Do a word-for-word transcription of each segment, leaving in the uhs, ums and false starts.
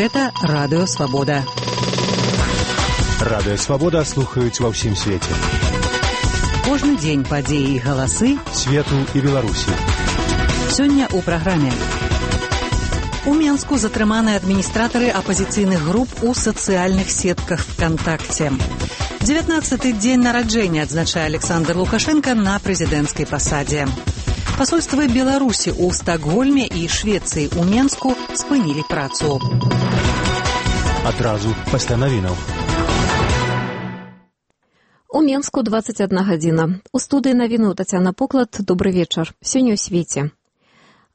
Гэта Радыё Свабода. Радыё Свабода слухаюць ва ўсім свеце. Кожны дзень падзеі і галасы свету і Беларусі. Сёння ў праграме. У Менску затрыманы адміністратары апазіцыйных груп у сацыяльных сетках ВКонтакте. дзевятнаццаты дзень нараджэння адзначае Александр Лукашенко на прэзідэнцкай пасадзе. Пасольствы Беларусі ў Стакгольме і Швецыі ў Менску спынілі працу. Адразу пасля навінаў. У Менску двадцать одна гадзіна. У студыі навіну Тацяна Поклад. Добры вечар. Сёння ў свеце.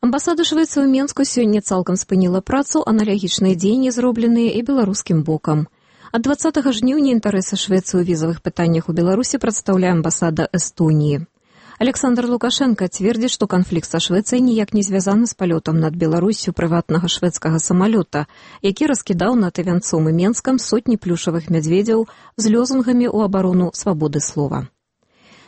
Амбасада Швецыі ў Менску сёння цалкам спыніла працу, аналагічныя дзеянні зробленыя і беларускім бокам. Ад дваццатага жніўня інтарэсы Швецыі ў візавых пытаннях у Беларусі прадстаўляе амбасада Эстоніі. Александр Лукашенко цвердзіць, што канфлікт са Швецыяй ніяк не звязаны з палётам над Беларуссю прыватнага шведскага самалёта, які раскідаў над Івянцом і Менскам сотні плюшавых мядзведзяў з лёзунгамі ў абарону свабоды слова.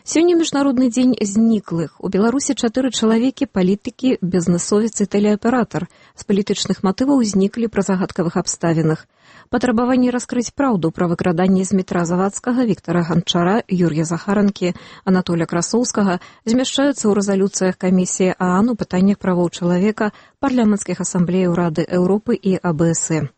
Сёння міжнародны дзень зніклых. У Беларусі чатыры чалавекі, палітыкі, бізнэсовец і тэлеаператар з палітычных матываў зніклі пры загадкавых абставінах. Патрабаванні раскрыць праўду пра выкраданне з метра Завадскага, Віктара Ганчара, Юр'я Захаранкі, Анатоля Красоўскага змяшчаюцца ў рэзалюцыях камісіі ААН у пытаннях правоў чалавека, парламенцкіх асамблеяў Рады Еўропы і А Бэ Эс Э.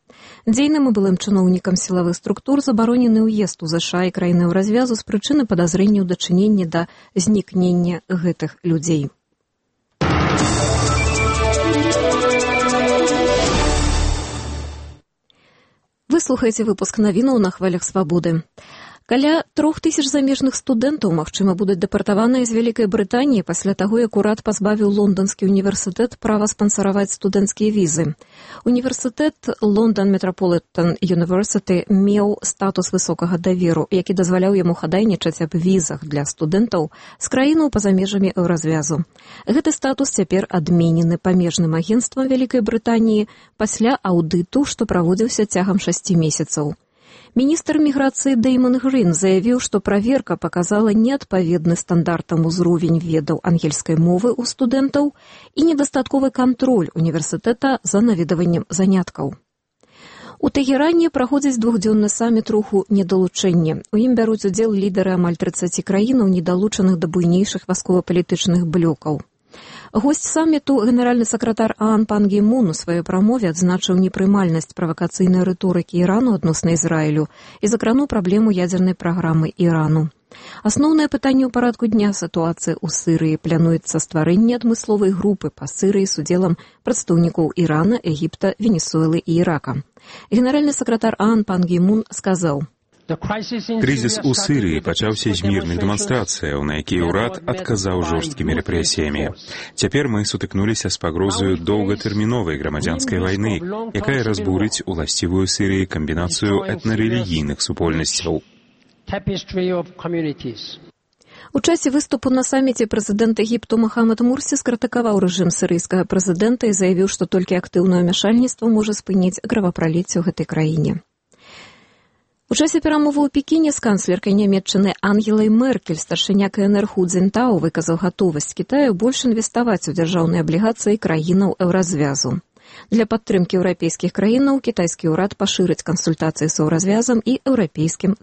Дзейным і былым чыноўнікам сілавых структур забаронены ўезд у ЗША і краіны ў развязу з прычыны падазрэння ў дачыненні да знікнення гэтых людзей. Вы слухаеце выпуск навінаў на хвалях свабоды. Каля трох тысяч замежных студэнтаў, магчыма, будуць дэпартаваныя з Вялікай Брытаніі пасля таго, як урад пазбавіў Лонданскі універсітэт права спансараваць студэнцкія візы. Універсітэт Лондон Метрополітен Юніверсіті меў статус высокага даверу, які дазваляў яму хадайнічаць аб візах для студэнтаў з краінаў па-за межамі еўразвязу. Гэты статус цяпер адменены памежным агенцтвам Вялікай Брытаніі пасля аўдыту, што праводзіўся цягам шасці месяцаў. Міністр міграцыі Дэйман Грын заявіў, што праверка паказала неадпаведны стандартам узровень ведаў ангельскай мовы ў студэнтаў і недастатковы кантроль універсітэта за наведваннем заняткаў. У Тэгеране праходзіць двухдзённы саміт руху недалучэння. У ім бяруць удзел лідары амаль трыццаці краінаў, недалучаных да буйнейшых вайсковапалітычных блёкаў. Госць саміту, генеральны сакратар ААН Пан Гі Мун у сваёй прамове адзначыў непрымальнасць правакацыйнай рыторыкі Ірану адносна Ізраілю і закрануў праблему ядзернай праграмы Ірану. Асноўнае пытанне ў парадку дня сітуацыі ў Сірыі. Плануецца стварэнне адмысловай групы па Сірыі з удзелам прадстаўнікоў Ірана, Егіпта, Венесуэлы і Ірака. Генеральны сакратар ААН Пан Гі Мун сказаў: Крызіс у Сірыі пачаўся з мірных дэманстрацыяў, на якія ўрад адказаў жорсткімі рэпрэсіямі. Цяпер мы сутыкнуліся з пагрозаю доўгатэрміновай грамадзянскай вайны, якая разбурыць уласцівую Сірыі камбінацыю этнарэлігійных супольнасцяў. У часе выступу на саміце прэзідэнт Егіпту Мухаммад Мурсі скрытыкаваў рэжым сірыйскага прэзідэнта і заявіў, што толькі актыўнае ўмяшальніцтва можа спыніць кровапраліцце ў гэтай краіне. У часе перамовы ў Пекіне з канцлеркай нямецчыны Ангелай Меркель старшыня Ка Эн Эр Ху Цзінтао выказаў гатовасць Кітаю больш інвеставаць у дзяржаўныя аблігацыі краінаў еўразвязу. Для падтрымкі еўрапейскіх краінаў кітайскі ўрад пашырыць кансультацыі з еўразвязам і еўрапейскім